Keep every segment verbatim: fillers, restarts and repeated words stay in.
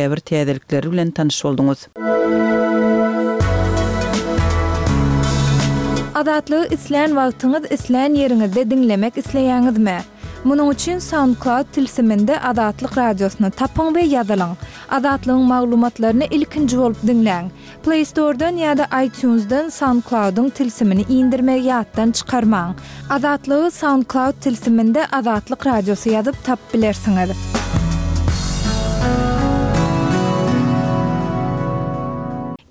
Käbir täzelikleri bilen tanyş bolduňyz. Azatlygy islän wagtyňyz, islän ýeriňizde diňlemek isleýäňizmi? Munuň üçin SoundCloud tilsiminde Azatlyk Radiosyny tapyň we ýazylyň. Azatlygyň maglumatlaryny ilkinji bolup diňläň. Play Store-dan ýa-da iTunes-dan SoundCloud-yň tilsimini indirmegi ýatdan çykarmaň. Azatlygy SoundCloud tilsiminde Azatlyk Radiosy ýazyp tapyp bilersiňiz.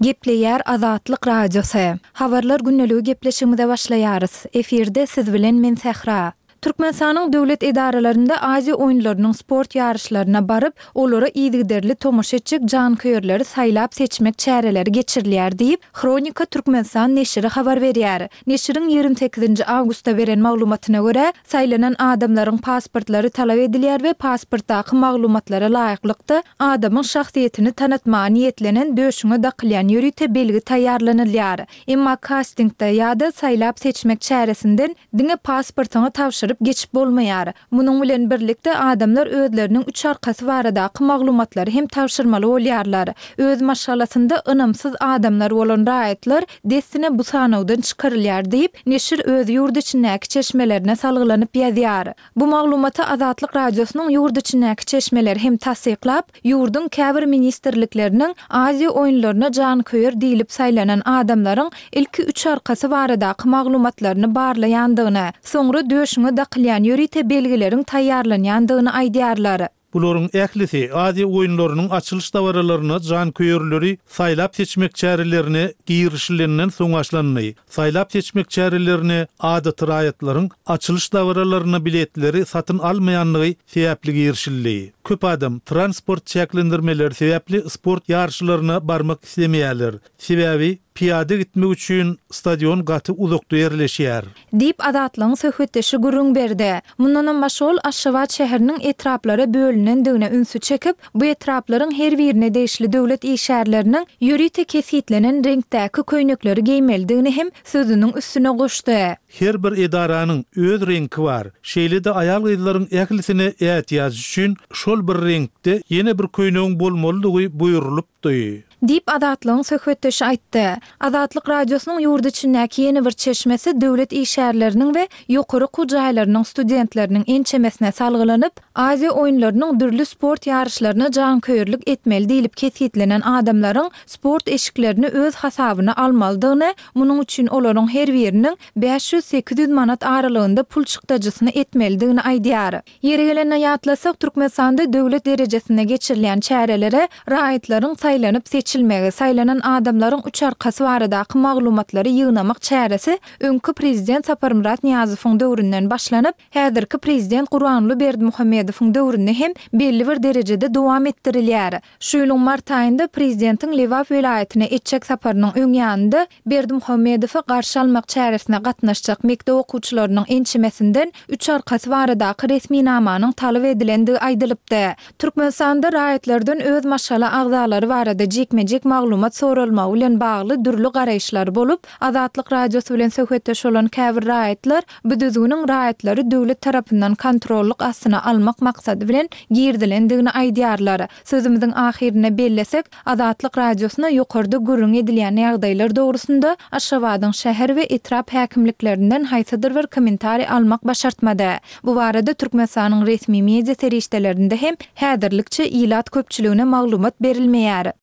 Gepleýär Azatlyk Radiosy. Habarlar gündeligi gepleşigimize başlaýarys. Efirde siz bilen men Sähra. Türkmenistanyň döwlet edaralarynda Aziýa oýunlarynyň sport ýaryşlaryna baryp, olara yzygiderli tomaşa etjek janköýerleri saýlap-seçmek çäreleri geçirilýär diýip, Hronika Türkmenistan neşiri habar berýär. Neşiriň ýigrimi sekizinji awgustda beren maglumatyna görä, saýlanan adamlaryň pasportlary talap edilýär we pasportdaky maglumatlara laýyklykda, adamyň şahsyýetini tanatmaga niýetlenen döşüňe dakylýan ýörite belgi taýýarlanylýar. Emma kastingde ýa-da saýlap-seçmek çäresinden diňe pasportyňy tabşyryp geçip bolmaýar. Munuň bilen birlikde, adamlar özleriniň üç arkasy baradaky maglumatlary hem tabşyrmaly bolýarlar. Öz maşgalasynda ynamsyz adamlar bolan raýatlar dessine bu sanawdan çykarylýar diýip, neşir öz ýurt içindäki çeşmelerine salgylanyp ýazýar. Bu maglumaty Azatlyk Radiosynyň ýurt içindäki çeşmeleri hem tassyklap, ýurduň käbir ministrlikleriniň Aziýa oýunlaryna janköýer diýlip saýlanan adamlaryň ilki üç arkasy baradaky maglumatlaryny barlaýandygyny, soňra döşüňe dakylýan ýörite belgileriň taýýarlanýandygyny aýdýarlar. Bularyň ählisi Aziýa oýunlarynyň açylyş dabaralaryna janköýerleri saýlap-seçmek çärelerine girişilenden soň başlandy. Saýlap-seçmek çärelerine adaty raýatlaryň açylyş dabaralaryna biletleri satyn almaýanlygy sebäpli girişildi. Köp adam transport çäklendirmeleri sebäpli sport ýaryşlaryna barmak islemeýärler. Sebäbi pyýada gitmek üçin stadion gaty uzakda ýerleşýär. Diýip, Azatlygyň söhbetdeşi gürrüň berdi. Mundanam başga ol Aşgabat şäheriniň etraplara bölünendigine ünsi çekip, bu etraplaryň her birine degişli döwlet işgärleriniň ýörite kesgitlenen reňkdäki köýnekleri geýmelidigini hem sözüniň üstüne goşdy. Her bir edaranyň öz reňki bar. Şeýle-de aýal-gyzlaryň ählisine ätiýaç üçin şol bir reňkde ýene bir köýnegiň bolmalydygy buýrulypdy. Diýip, Azatlygyň söhbetdeşi aýtdy. Azatlyk Radiosynyň ýurt içindäki ýene bir çeşmesi döwlet işgärleriniň we ýokary okuw jaýlarynyň studentleriniň ençemesine salgylanyp, Aziýa oýunlarynyň dürli sport ýaryşlaryna janköýerlik etmeli diýlip kesgitlenen adamlaryň sport eşiklerini öz hasabyna almalydygyny, munuň üçin olaryň her biriniň bäş ýüz-sekiz ýüz manat aralygynda pul çykdajysyny etmelidigini aýdýar. Ýeri gelende ýatlasak, Türkmenistanda döwlet derejesinde geçirilýän çärelere raýatlaryň saýlanyp-seçilmegi, saýlanan adamlaryň üç arkasy baradaky maglumatlary ýygnamak çäresi öňki prezident Saparmyrat Nyýazowyň döwründen başlanyp, häzirki prezident Gurbanguly Berdimuhamedowyň döwründe hem belli bir derejede dowam etdirilýär. Şu ýylyň mart aýynda prezidentiň Lebap welaýatyna etjek saparynyň öň ýanynda Berdimuhamedowy garşy almak çäresine gatnaşjak mekdep okuwçylarynyň ençemesinden üç arkasy baradaky resminamanyň talap edilendigi aýdylypdy. Türkmenistanda raýatlardan öz maşgala agzalary barada jikme-jik maglumat soralmagy bilen bagly dürli garaýyşlar bolup, Azatlyk Radiosy bilen söhbetdeş bolan käbir raýatlar bu düzgüniň raýatlary döwlet tarapyndan kontrollyk astyna almak maksady bilen girizilendigini aýdýarlar. Sözümiziň ahyrynda bellesek, Azatlyk Radiosyna ýokarda gürrüňi edilýän ýagdaýlar dogrusynda Aşgabadyň şäher we etrap häkimliklerinden haýsydyr bir kommentariý almak başartmady. Bu barada Türkmenistanyň resmi media serişdelerinde hem häzirlikçe ilat köpçüligine maglumat berilmeýär.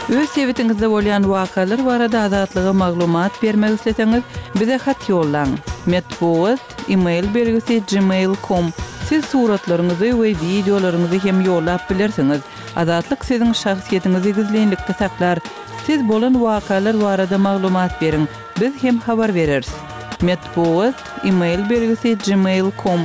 Öz sebitiňizde bolýan wakalar barada Azatlyga maglumat bermek isleseňiz, bize hat ýollaň. Metbugat, e-mail belgisi gmail com. Siz suratlaryňyzy we wideolaryňyzy hem ýollap bilersiňiz. Azatlyk siziň şahsyýetiňizi gizlinlikde saklar. Siz bolan wakalar barada maglumat beriň, biz hem habar bereris. Metbugat, e-mail belgisi gmail com.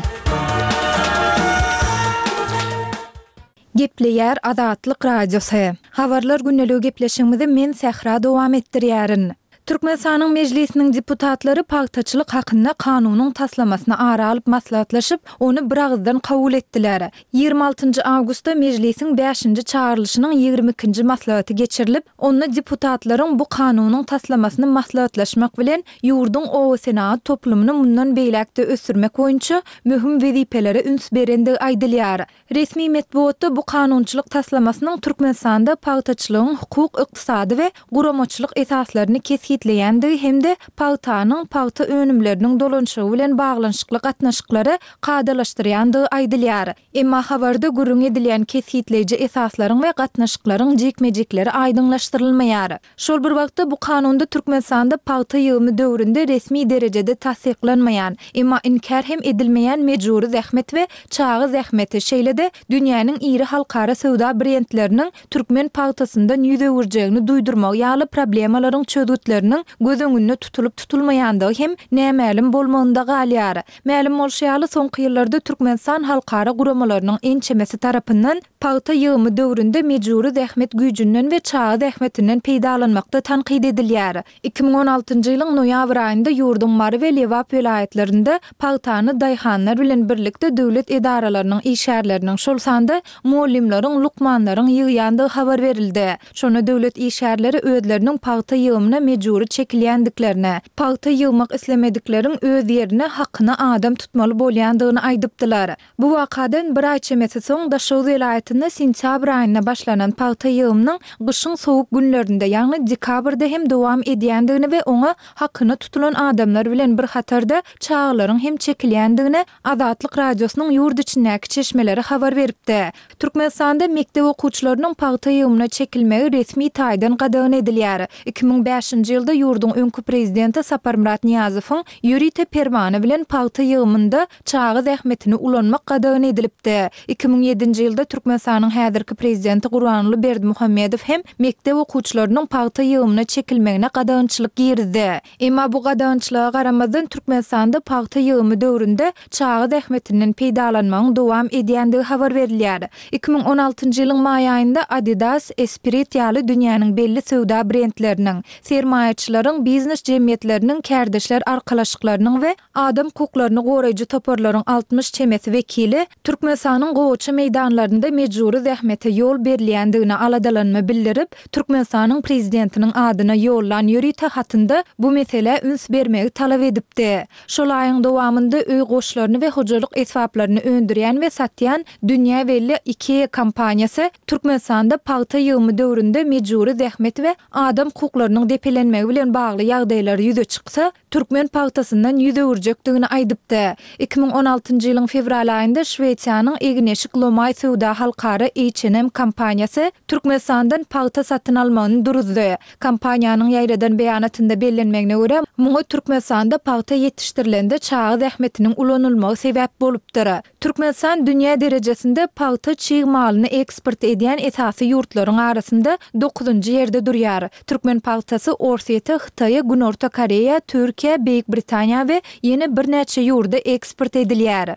Gepleýär Azatlyk Radiosy. Habarlar gündeligi gepleşigimizi men Sähra dowam etdirýärin. Türkmenistanyň Mejlisiniň deputatlary pagtaçylyk hakynda kanunyň taslamasyny ara alyp maslahatlaşyp, ony biragyzdan kabul etdiler. Ýigrimi altynjy awgustda Mejlisiň bäşinji çagyrylyşynyň ýigrimi ikinji maslahaty geçirilip, onda deputatlaryň bu kanunyň taslamasyny maslahatlaşmak bilen, ýurduň obasenagat toplumyny mundan beýläk-de ösdürmek boýunça möhüm wezipelere üns berendigi aýdylýar. Resmi metbugatda bu kanunçylyk taslamasynyň Türkmenistanda pagtaçylygyň hukuk, ykdysady we guramaçylyk esaslaryny kesgitleýändigi hem-de pagtanyň, pagta önümleriniň dolanyşygy bilen baglanyşykly gatnaşyklary kadalaşdyrýandygy aýdylýar. Emma habarda gürrüň edilýän kesgitleýji esaslaryň we gatnaşyklaryň jikme-jikleri aýdyňlaşdyrylmaýar. Şol bir wagtda, bu kanunda Türkmenistanda pagta ýygymy döwründe resmi derejede tassyklanmaýan, emma inkär hem edilmeýän mejbury zähmet we çaga zähmeti, şeýle-de dünýäniň iri halkara söwda brendleriniň türkmen pagtasyndan ýüz öwürjegini duýdurmagy ýaly problemalaryň çözgütleriniň göz öňünde tutulyp-tutulmaýandygy hem nämälim bolmagynda galýar. Mälim bolşy ýaly, soňky ýyllarda Türkmenistan halkara guramalarynyň ençemesi tarapyndan pagta ýygymy döwründe mejbury zähmet güýjünden we çaga zähmetinden peýdalanmakda tankyt edilýär. Iki müň on altynjy ýylyň noýabr aýynda ýurduň Mary we Lebap welaýatlarynda pagtany daýhanlar bilen birlikde döwlet edaralarynyň işgärleriniň, şol sanda mugallymlaryň, lukmanlaryň ýygýandygy habar berildi. Şonda döwlet işgärleri özleriniň pagta ýygymyna mejbury çekilýändiklerini, pagta ýygmak islemedikleriň öz ýerine hakyna adam tutmaly bolýandygyny aýdypdylar. Bu wakadan bir aý çemesi soň Daşoguz welaýatynda sentýabr aýynda başlanan pagta ýygymynyň gyşyň sowuk günlerinde, ýagny dekabrda hem dowam edýändigini we oňa hakyna tutulan adamlar bilen bir hatarda çagalaryň hem çekilýändigini Azatlyk Radiosynyň ýurt içindäki çeşmeleri habar beripdi. Türkmenistanda mekdep okuwçylarynyň pagta ýygymyna çekilmegi resmi taýdan gadagan edilýär. Iki müň bäşinji ýylda ýurduň öňki prezidenti Saparmyrat Nyýazowyň ýörite permany bilen pagta ýygymynda çaga zähmetini ulanmak gadagan edilipdi. Iki müň ýedinji ýylda Türkmenistanyň häzirki prezidenti Gurbanguly Berdimuhamedow hem mekdep okuwçylarynyň pagta ýygymyna çekilmegine gadagançylyk girizdi. Emma bu gadagançylyga garamazdan Türkmenistanda pagta ýygymy döwründe çaga zähmetinden peýdalanmagyň dowam edýändigi habar berilýär. Iki müň on altynjy ýylyň maý aýynda Adidas, Esprit ýaly dünýäniň belli söwda brendleriniň, sermaýaçylaryň, biznes jemgyýetleriniň, kärdeşler arkalaşyklarynyň we adam hukuklaryny goraýjy toparlaryň altmyş çemesi wekili Türkmenistanyň gowaça meýdanlarynda mejbury zähmete ýol berilýändigine aladalanma bildirip, Türkmenistanyň Prezidentiniň adyna ýollan ýörite hatynda bu meselä üns bermegi talap edipdi. Şol aýyň dowamynda öý goşlaryny we hojalyk esbaplaryny öndürýän we satýan dünýä belli IKEA kompaniýasy Türkmenistanda pagta ýygymy döwründe mejbury zähmet we adam hukuklarynyň depelenmegi bilen bagly ýagdaýlar ýüze çyksa, türkmen pagtasyndan ýüz öwürjekdigini aýdypdy. Iki müň on altynjy ýylyň fewral aýynda Şwesiýanyň egin-eşik lomaý söwda halkara H and M kompaniýasy Türkmenistandan pagta satyn almagyny duruzdy. Kompaniýanyň ýaýradan beýanatynda bellenmegine görä, muňa Türkmenistanda pagta ýetişdirilende çaga zähmetiniň ulanylmagy sebäp bolupdyr. Türkmenistan dünýä derejesinde pagta çig malyny eksport edýän esasy ýurtlaryň arasynda dokuzynjy ýerde durýar. Türkmen pagtasy Orsýete, Hytaýa, Günorta Koreýa, Türkiýä, Beýik Britaniýa we ýene birnäçe ýurda eksport edilýär.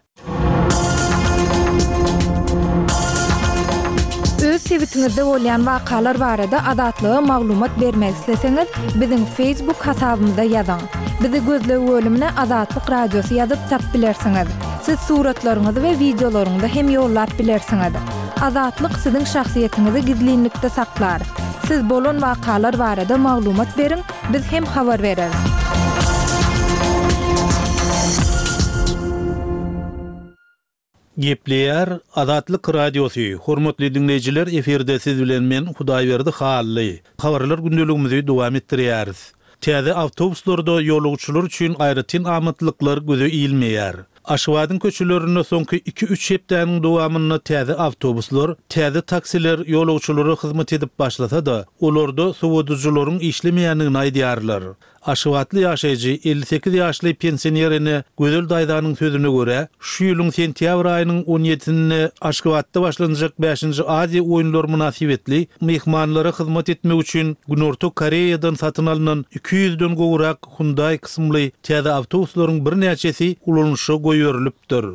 Öz sebitiňizde bolýan wakalar barada Azatlyga maglumat bermek isleseňiz, biziň Facebook hasabymyza ýazyň. Bizi gözleg bölümine Azatlyk Radiosy ýazyp tapyp bilersiňiz. Siz suratlaryňyzy we wideolaryňyzy hem ýollap bilersiňiz. Azatlyk siziň şahsyýetiňizi gizlinlikde saklar. Siz bolan wakalar barada maglumat beriň, biz hem habar bereris. Gepleýär Azatlyk Radiosy. Hormatly dinleýjiler, efirde siz bilen men Hudaýberdi Hally. Habarlar gündeligimizi dowam etdirýäris. Täze awtobuslarda ýolagçylar üçin aýratyn amatlyklar göze ilmeýär. Aşgabadyň köçelerinde soňky iki-üç hepdäniň dowamynda täze awtobuslar, täze taksiler ýolagçylara hyzmat edip başlasa-da, olarda sowadyjylaryň işlemeýändigini aýdýarlar. Aşgabatly ýaşaýjy elli sekiz ýaşly pensioner ene Gözel daýzanyň sözüne görä, şu ýylyň sentýabr aýynyň on ýedisinde Aşgabatda başlanjak bäşinji Aziýa oýunlary mynasybetli myhmanlara hyzmat etmek üçin Günorta Koreýadan satyn alnan iki ýüzden gowrak Hyundai kysymly täze awtobuslaryň birnäçesi ulanyşa goýberilipdir.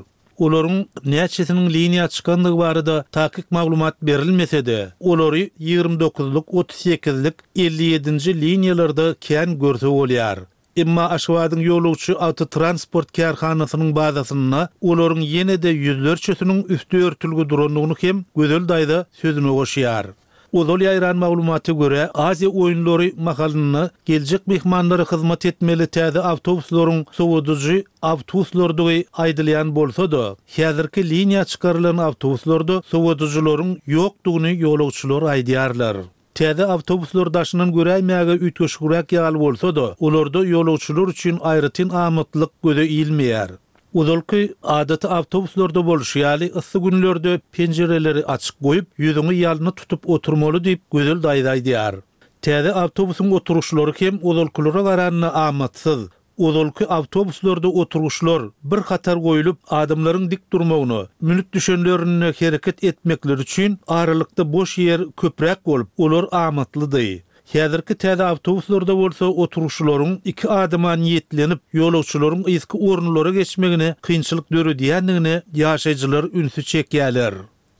Olaryň näçesiniň liniýa çykandygy barada takyk maglumat berilmese-de, olary ýigrimi dokuzlyk, otuz sekizlik, elli ýedinji liniýalarda kän görse bolýar. Emma Aşgabadyň ýolagçy awtotransport kärhanasynyň bazasynda olaryň ýene-de ýüzlerçesiniň üsti örtülgi durandygyny hem Gözel daýza sözüne goşýar. Ozal ýaýran maglumata görä, Aziýa oýunlary mahalynda geljek myhmanlara hyzmat etmeli täze awtobuslaryň sowadyjy awtobuslardygy aýdylýan bolsa-da, häzirki liniýa çykarylan awtobuslarda sowadyjylaryň ýokdugyny ýolagçylar aýdýarlar. Täze awtobuslar daşyndan göräýmäge üýtgeşigräk ýaly bolsa-da, olarda ýolagçylar üçin aýratyn amatlyk göze ilmeýär. Ozalky adaty awtobuslarda bolşy ýaly yssy günlerde penjireleri açyk goýup, ýüzüňi ýalyny tutup oturmaly diýip Gözel daýza aýdýar. Täze awtobusyň oturuşlary hem ozalkylara garanda amatsyz. Ozalky awtobuslarda oturuşlar bir hatar goýlup, adamlaryň dik durmagyna, münüp düşenlerine hereket etmekleri üçin aralykda boş ýer köpräk bolup, olar amatlydy. Häzirki täze awtobuslarda bolsa oturuşlaryň iki adama niýetlenip, ýolagçylaryň yzky orunlara geçmegine kynçylyk döredýändigine ýaşaýjylar ünsi çekýärler.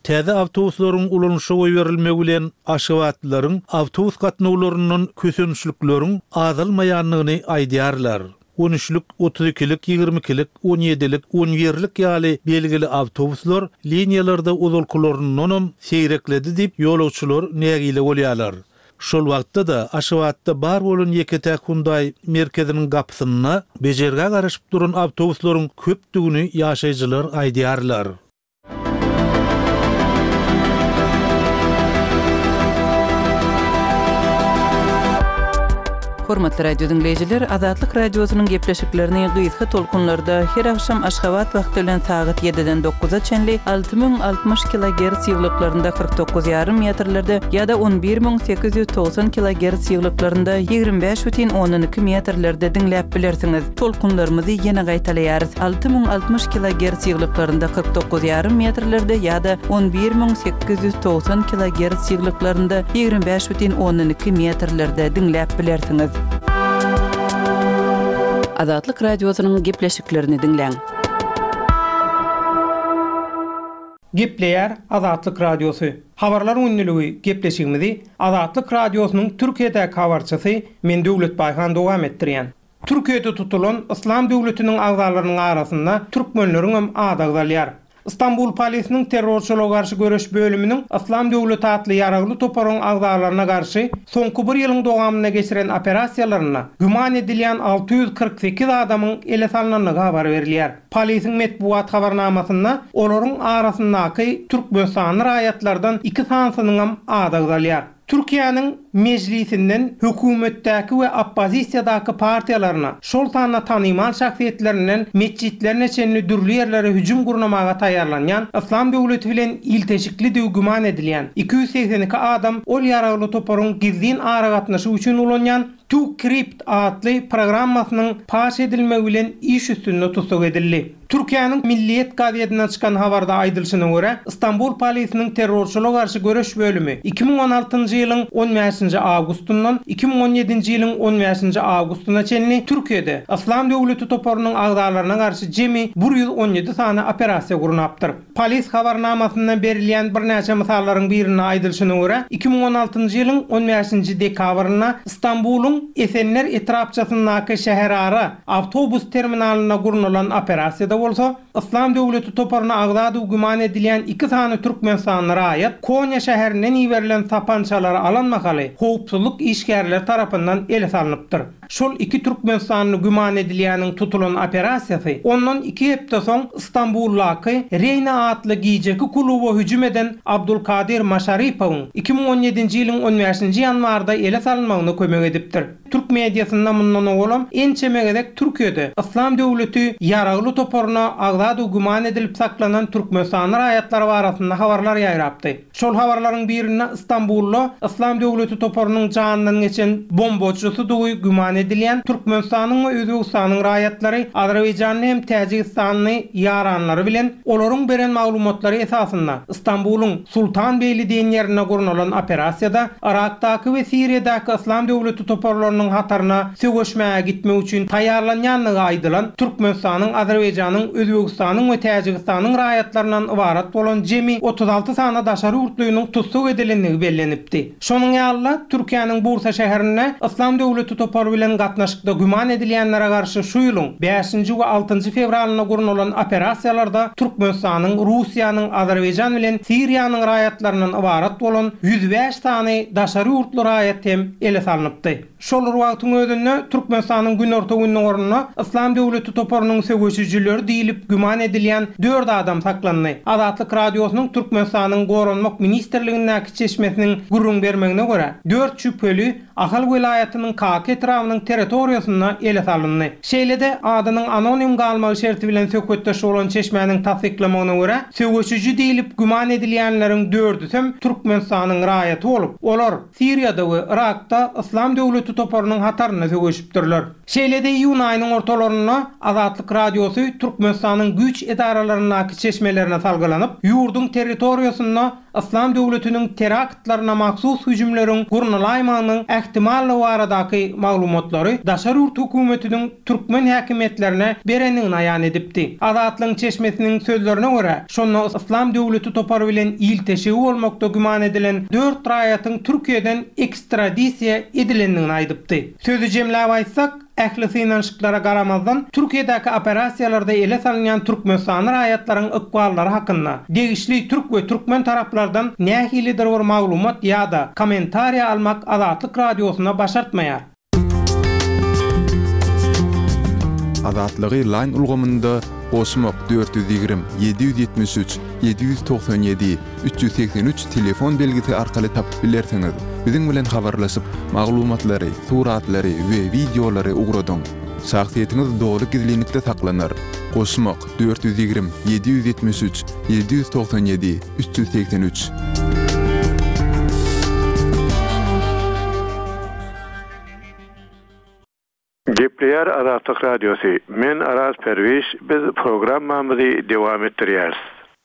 Täze awtobuslaryň ulanyşa goýberilmegi bilen Aşgabatlylaryň awtobus gatnawlaryndan kösençlikleriň azalmaýandygyny aýdýarlar. On üçlük, otuz ikilik, ýigrimi ikilik, on ýedilik, on birlik ýaly belgili awtobuslar liniýalarda ozalkylaryndanam seýrekledi diýip ýolagçylar nägile bolýarlar. Şol wagtda-da Aşgabatda bar bolan ýeke-täk Hyundai merkeziniň gapysynda bejergä garaşyp duran awtobuslaryň köpdügini ýaşaýjylar aýdýarlar. Hormatly radio dinleýjiler, Azatlyk radiosynyň gepleşiklerini gysga tolkunlarda her akşam Aşgabat wagty bilen sagat ýediden dokuza çenli alty müň altmyş kilogertz ýyglyklarynda kyrk dokuz ýarym metrlerde ýa-da on bir müň sekiz ýüz togsan kilogertz ýyglyklarynda ýigrimi bäş bütin ondan iki metrlerde diňläp bilersiňiz. Tolkunlarymyzy ýene gaýtalaýarys. Alty müň altmyş kilogertz ýyglyklarynda kyrk dokuz ýarym metrlerde ýa-da on bir müň sekiz ýüz togsan kilogertz ýyglyklarynda ýigrimi bäş bütin ondan iki metrlerde diňläp bilersiňiz. Azatlyk radiosynyň gepleşiklerini diňläň. Gepleýär Azatlyk radiosy. Habarlar günlügi gepleşigimizi Azatlyk radiosynyň Türkiýedäki habarçysy men Döwlet Baýhan dowam etdirýän. Türkiýede tutulan Yslam döwletiniň agzalarynyň arasynda türkmenleriň hem ady agzalýar. Istanbul polisiniň terrorçylyga garşy göreş bölüminiň Yslam döwleti atly ýaragly toparyň agzalaryna garşy soňky bir ýylyň dowamynda geçiren operasiýalarynda güman edilýän alty ýüz kyrk sekiz adamyň ele salynandygy habar berilýär. Polisiň metbugat habarnamasynda olaryň arasyndaky Türkmenistanly raýatlardan iki sanysynyň hem ady agzalýar. Türkiýäniň mejlisinden hökümetdäki we oppozisiýadaky partiýalaryna, şol sanda tanymal şahsyýetlerinden metjitlerine çenli dürli ýerlere hüjüm gurnamaga taýýarlanýan Yslam döwleti bilen ilteşikli güman edilýän iki ýüz segsen iki adam ol ýaragly toparyň gizlin aragatnaşyk üçin ulanýan TuCrypt atly programmasynyň paş edilmegi bilen iş üstünde tussag edildi. Türkiýäniň Milliyet gazetinden çykan habarda aýdylyşyna görä, Istanbul polisiniň terrorçylyga garşy göreş bölümi iki müň on altynjy ýylyň on bäşinji awgustyndan iki müň on ýedinji ýylyň on bäşinji awgustyna çenli Türkiýede Yslam döwleti toparynyň agzalaryna garşy jemi bir ýüz on ýedi sany operasiýa gurnapdyr. Polis habarnamasyndan berilýän birnäçe mysallaryň birinde aýdylyşyna görä, iki müň on altynjy ýylyň on bäşinji dekabrynda Istanbulyň Esenler etrapçasyndaky şäherara awtobus terminalynda gurnalan operasiýada bolsa, Yslam döwleti toparyna agzady güman edilýän iki sany Türkmenistanly raýat Konýa şäherinden iberilen sapançalary alan mahaly howpsuzlyk işgärleri tarapyndan ele salnypdyr. Şol iki Türkmenistanly güman edilýäniň tutulan operasiýasy ondan iki hepde soň Istanbuldaky Reýna atly gijeki kluba hüjüm eden Abdulkadir Maşaripowyň iki müň on ýedinji ýylyň on bäşinji ýanwarda ele salynmagyna kömek edipdir. Türk mediasynda mundan owalam ençeme gezek Türkiýede Yslam döwleti ýaragly toparyna agzady güman edilip saklanan Türkmenistanly raýatlar arasynda habarlar ýaýrapdy. Şol habarlaryň birinde Istanbulda Yslam döwleti toparynyň janyndan geçen bombaçysydygy güman edilýän Türkmenistanyň we Özbegistanyň raýatlary Azerbaýjanly hem Täjigistanly ýaranlary bilen olaryň beren maglumatlary esasynda Istanbulyň Sultanbeýli diýen ýerinde gurnalan operasiýada Irakdaky we Siriýadaky Yslam döwleti toparlarynyň toparynyň hataryna söweşmäge gitmek üçin taýýarlanýandygy aýdylan Türkmenistanyň, Azerbaýjanyň, Özbegistanyň we Täjigistanyň raýatlaryndan ybarat bolan jemi otuz alty sany daşary ýurtlynyň tussag edilendigi bellenipdi. Şonuň ýaly-da Türkiýäniň Bursa şäherinde Yslam döwleti topary bilen gatnaşykda güman edilýänlere garşy şu ýylyň bäşinji we altynjy fewralynda gurnalan operasiýalarda Türkmenistanyň, Russiýanyň, Azerbaýjan bilen Siriýanyň raýatlaryndan ybarat bolan ýüz bäş sany daşary ýurtly raýat hem ele salnypdy. Şol bir wagtyň özünde Türkmenistanyň günorta gündogarynda Yslam döwleti toparynyň söweşijileri diýlip güman edilýän dört adam saklandy. Azatlyk Radiosynyň Türkmenistanyň Goranmak Ministrligindäki çeşmesiniň gürrüň bermegine görä, dört şübheli Ahal welaýatynyň Kaka etrabynyň territoriýasynda ele salyndy. Şeýle-de adynyň anonim galmagy şerti bilen söhbetdeş bolan çeşmäniň tassyklamagyna görä, söweşiji diýlip güman edilýänleriň dördüsem Türkmenistanyň raýaty bolup, olar Siriýada we Irakda Yslam döwleti toparynyň hatarynda söweşipdirler. Şeýle-de iýun aýynyň ortalarynda Azatlyk Radiosy Türkmenistanyň güýç edaralaryndaky çeşmelerine salgylanyp, ýurduň territoriýasynda Yslam döwletiniň teraktlaryna mahsus hüjümleriň gurnalaýmagynyň ähtimallygy baradaky maglumatlary daşary ýurt hökümetiniň türkmen häkimiýetlerine berendigini aýan edipdi. Azatlygyň çeşmesiniň sözlerine görä, şonda Yslam döwleti topary bilen ilteşigi bolmakda güman edilen dört raýatyň Türkiýeden ekstradisiýa edilendigini aýdypdy. Sözi jemläp aýtsak, ähli synanyşyklara garamazdan Türkiýedäki operasiýalarda ele salynýan Türkmenistanyň raýatlaryň ykballary hakynda degişli türk we türkmen taraplardan nähilidir bir maglumat ýa-da kommentariýa almak Azatlyk Radiosyna başartmaýar. Azatlygy Line ulgamynda goşmak dört ýüz ýigrimi, ýedi ýüz ýetmiş üç, ýedi ýüz togsan ýedi, üç ýüz segsen üç telefon belgisi arkaly tapyp bilersiňiz. Biziň bilen habarlaşyp, maglumatlary, suratlary we wideolary ugradyň. Şahsyýetiňiz doly gizlinlikde saklanar. Goşmak dört ýüz ýigrimi, ýedi ýüz ýetmiş üç, ýedi ýüz togsan ýedi, üç ýüz segsen üç. Gepleýär Azatlyk Radiosy. Men Araz Perwiş, biz programmamyzy dowam etdirýäris.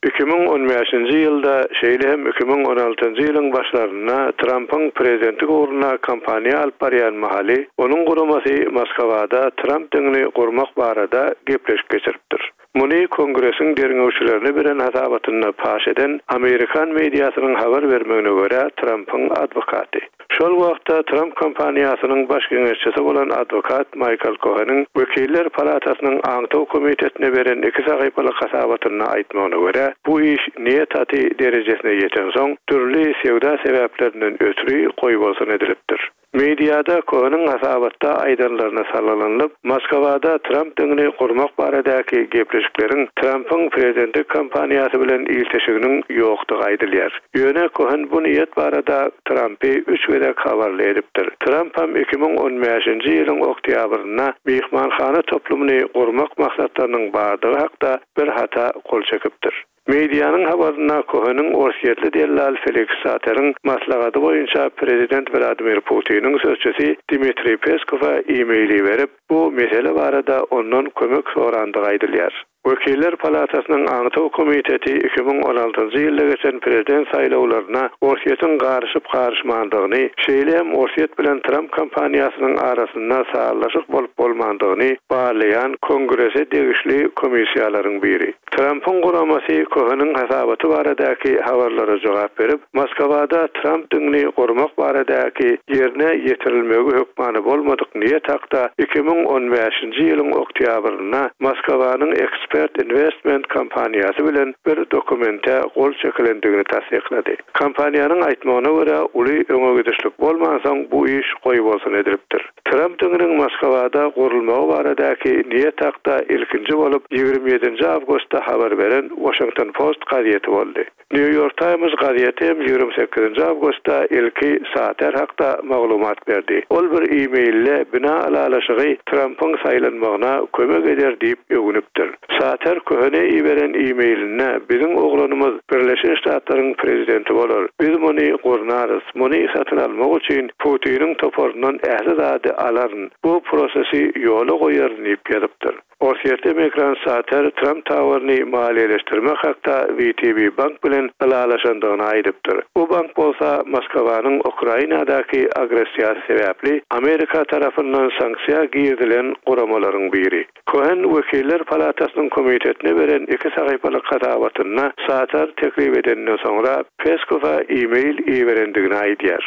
iki müň on bäşinji ýylda, şeýle hem iki müň on altynjy ýylyň başlarynda Trumpyň prezidentlik ugruna kampaniýa alyp barýan mahaly, onuň guramasy Moskwada Trump diňini gurmak barada gepleşik geçiripdir. Muny Kongresiň derňewçilerine beren hasabatynda paş eden Amerikan mediasynyň habar bermegine görä Trumpyň adwokaty. Şol wagtda Trump kompaniýasynyň baş geňeşçisi bolan adwokat Michael Cohen'iň Wekiller palatasynyň aňtaw komitetine beren iki sahypalyk hasabatynda aýtmagyna görä, bu iş niýet aty derejesine ýetensoň dürli söwda sebäplerinden ötri goýbolsun edilipdir. Mediada Cohen'iň hasabatda aýdanlaryna salgylanyp, Moskwada Trump diňini gurmak baradaky gepleşikleriň Trumpyň prezidentlik kampaniýasy bilen ilteşiginiň ýokdugy aýdylýar. Ýöne Cohen bu niýet barada Trumpy üç gezek habarly edipdir. Trump hem iki müň on bäşinji ýylyň oktýabrynda mehmanhana toplumyny gurmak maksatlarynyň bardygy hakda bir hata gol çekipdir. Medianyň habarynda Cohen'iň Orsýetli dellal Felix Sateriň maslahaty boýunça prezident Vladimir Putiniň sözçüsi Dmitriý Peskowa e-maili berip, bu mesele barada ondan kömek sorandygy aýdylýar. Wekiller palatasynyň aňtaw komiteti iki müň on altynjy ýylda geçen prezident saýlawlaryna Orsýetiň garyşyp garyşmandygyny, şeýle hem Orsýet bilen Trump kampaniýasynyň arasynda sazlaşyk bolup bolmandygyny barlaýan Kongrese degişli komissiýalaryň biri. Trumpyň guramasy Cohen'iň hasabaty baradaky habarlara jogap berip, Moskwada Trump diňini gurmak baradaky ýerine ýetirilmegi hökmany bolmadyk niýet hakda iki müň on bäşinji ýylyň oktýabrynda Moskwanyň Expert Investment kompaniýasy bilen bir dokumente gol çekilendigini tassyklady. Kompaniýanyň aýtmagyna görä, uly öňe gidişlik bolmansoň bu iş goýbolsun edilipdir. Trump diňiniň Moskwada gurulmagy baradaky niýet hakda ilkinji bolup ýigrimi ýedinji awgustda habar beren Washington Post gazeti boldy. New York Times gazeti hem ýigrimi sekizinji awgustda ilki Sater hakda maglumat berdi. Ol bir e-maille bina alalaşygy Trumpyň saýlanmagyna kömek eder diýip öwünipdir. Sater Cohen'e iberen e-mailine biziň oglanymyz Birleşen Ştatlaryň prezidenti bolar. Biz muny gurnarys. Muny satyn almak üçin Putiniň toparyndan ähli zady alaryn. Bu prosesi ýola goýaryn diýip ýazypdyr. Orsýetli migrant Sater Trump Towerini maliýeleşdirmek hakda W T B Bank bilen ylalaşandygyny aýdypdyr. Bu bank bolsa Moskwanyň Ukrainadaky agressiýasy sebäpli Amerika tarapyndan sanksiýa girizilen guramalaryň biri. Kohen Wekiller Palatasynyň komitetine beren iki sahypalyk hasabatynda Sater teklip edenden soňra Peskowa e-mail iberendigini aýdýar.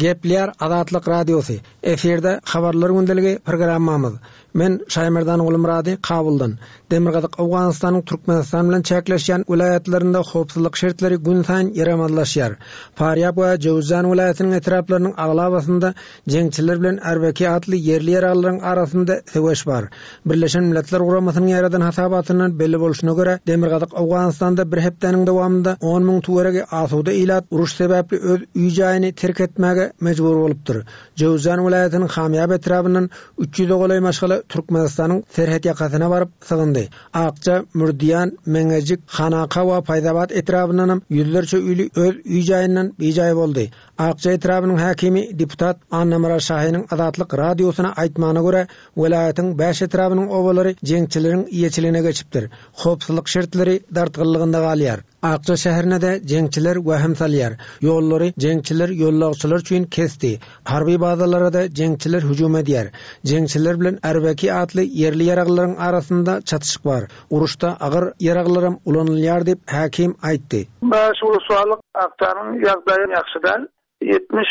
Gepleýär Azatlyk Radiosy. Efirde Habarlar gündeligi programmamyz. Men Şaýmerdan Gulmyrady Kabuldan. Demirgazyk Owganystanyň Türkmenistan bilen çäkleşýän welaýatlarynda howpsuzlyk şertleri günsaýyn ýaramazlaşýar. Farýab we Jöwüzjan welaýatynyň etraplarynyň aglabasynda jeňçiler bilen R B K atly ýerli ýaraglylaryň arasynda söweş bar. Birleşen Milletler Guramasynyň ýaradan hasabatyndan belli bolşuna görä, Demirgazyk Owganystanda bir hepdäniň dowamynda on müň töweregi asuda ilat uruş sebäpli öz öý jaýyny terk etmäge mejbur bolupdyr. Jöwüzjan welaýatynyň Hamýab etrabyndan üç ýüze golaý maşgala Türkmenistanyň serhet ýakasyna baryp sygyndy. Akça, Mürdiýan, Meňejik, Hanaka we Paýzabat etrabyndan hem ýüzlerçe öýli öz öý jaýyndan bijaý boldy. Akça etrabynyň häkimi deputat Annamyrat Şahynyň Azatlyk radiosyna aýtmagyna görä, welaýatyň bäş etrabynyň obalary jeňçileriň eýeçiligine geçipdir. Howpsuzlyk şertleri dartgynlygynda galýar. Akça şäherine de jeňçiler wahim salýar. Ýollary jeňçiler ýollagçylar üçin kesdi. Harby bazalara da jeňçiler hüjüm edýär. Jeňçiler bilen R B K atly ýerli ýaraglylaryň arasynda çatyşyk bar. Uruşda agyr ýaraglaram ulanylýar diýip häkim aýtdy. Bäş uluslarlyk Akçanyň ýagdaýy ýagşy däl. Ýetmiş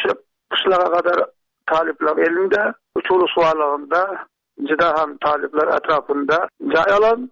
gyşlaga kadar talyplar elinde, üç uluslarlygynda juda hem talyplar etrapynda jaý alan.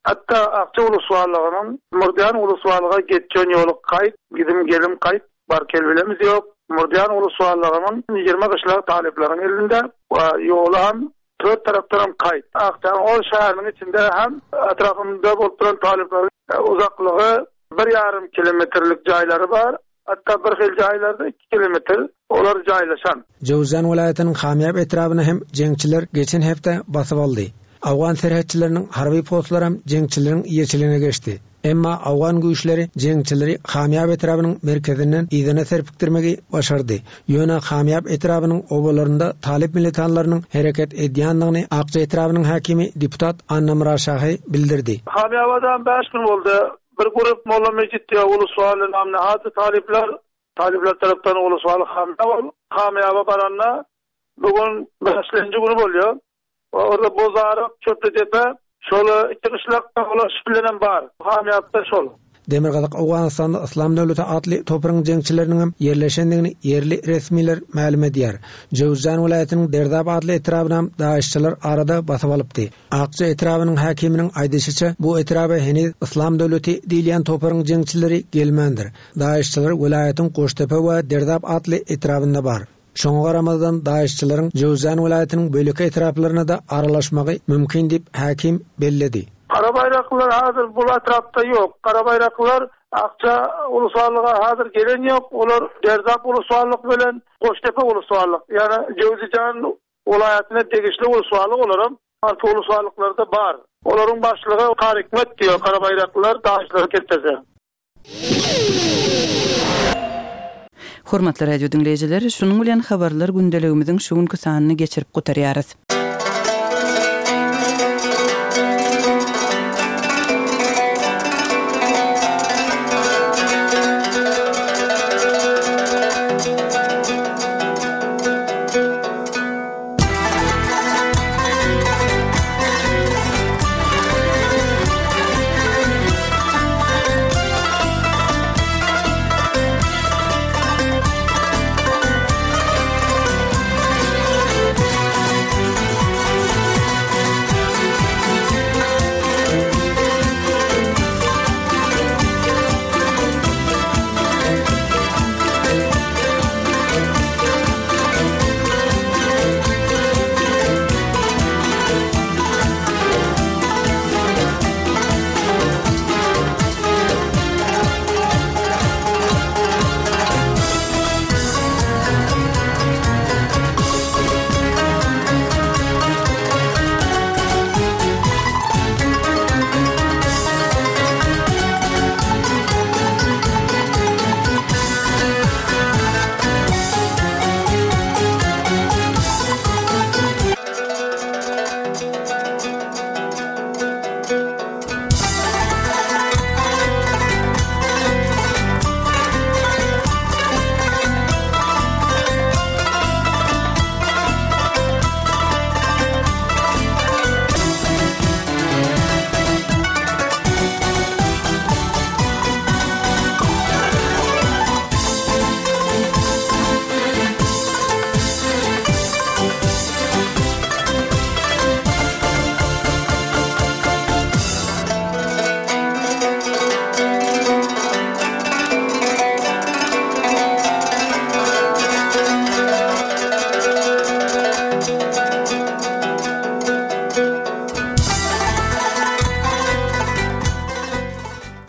Hatta Akça uluslarlygynyň Murdiýan uluslarlyga geçen ýoly gaýt, gidim gelim gaýt, bar kelbilemiz ýok. Murdiýan uluslarlygynyň ýigrimi gyşlag talyplaryň elinde we ýoly hem dört tarapdan hem gaýt. Akçanyň ol şäheriniň içinde hem etrapynda bolup duran talyplaryň uzaklygy bir ýarym kilometrlik jaýlary bar. Hatta bir hil jaýlarda iki kilometr olar jaýlaşan. Jöwüzjan welaýatynyň Hamýab etrabyny hem jeňçiler geçen hepde basyp aldy. Awgan serhetçileriniň harby postlary hem jeňçileriň eýeçiligine geçdi. Emma awgan güýçleri jeňçileri Hamýab etrabynyň merkezinden yzyna serpikdirmegi başardy. Ýöne Hamýab etrabynyň obalarynda talyp militanlarynyň hereket edýändigini Akça etrabynyň häkimi deputat Annamyrat Şahy bildirdi. Hamýabadan bäş gün boldy. Bir grup Molla Mejit diýe uluslarly namne hady talyplar, talyplar tarapdan uluslarly Hamýab, Hamýaba baranda bugün bäşinji günü bolýar. Orada Bozaryk, Çöplüdepe, şol iki gyşlakda ulaşyp bilenem bar. Hamýabda şol. Demirgazyk Owganystanda Yslam döwleti atly topragyň jeňçileriniň hem ýerleşendigini ýerli resmiler mälim edýär. Jöwüzjan welaýatynyň Derdap atly etrabyna hem daişçiler arada basyp alypdy. Akça etrabynyň häkiminiň aýdyşyça, bu etraba heniz Yslam döwleti diýilýän topragyň jeňçileri gelmändir. Daişçiler welaýatyň Goştepe we Derdap atly etrabynda bar. Şoňa garamazdan daişçileriň Jöwüzjan welaýatynyň böleki etraplaryna da aralaşmagy mümkin diýip häkim belledi. Kara baýraklar hazır bu etrapda ýok. Kara baýraklar Akça uluslarlyga hazır gelen ýok. Olar Derdap uluslarlyk bilen Goştepe uluslarlyk, ýani Jöwüzjan welaýatyna degişli uluslarlyk olaram arka uluslarlyklarda bar. Olaryň başlygy Karikmet diýär, kara baýraklar daişçileri getirdi. Hormatly radio dinleýjiler, şunuň bilen habarlar gündeligimiziň şu günki sanyny geçirip gutarýarys.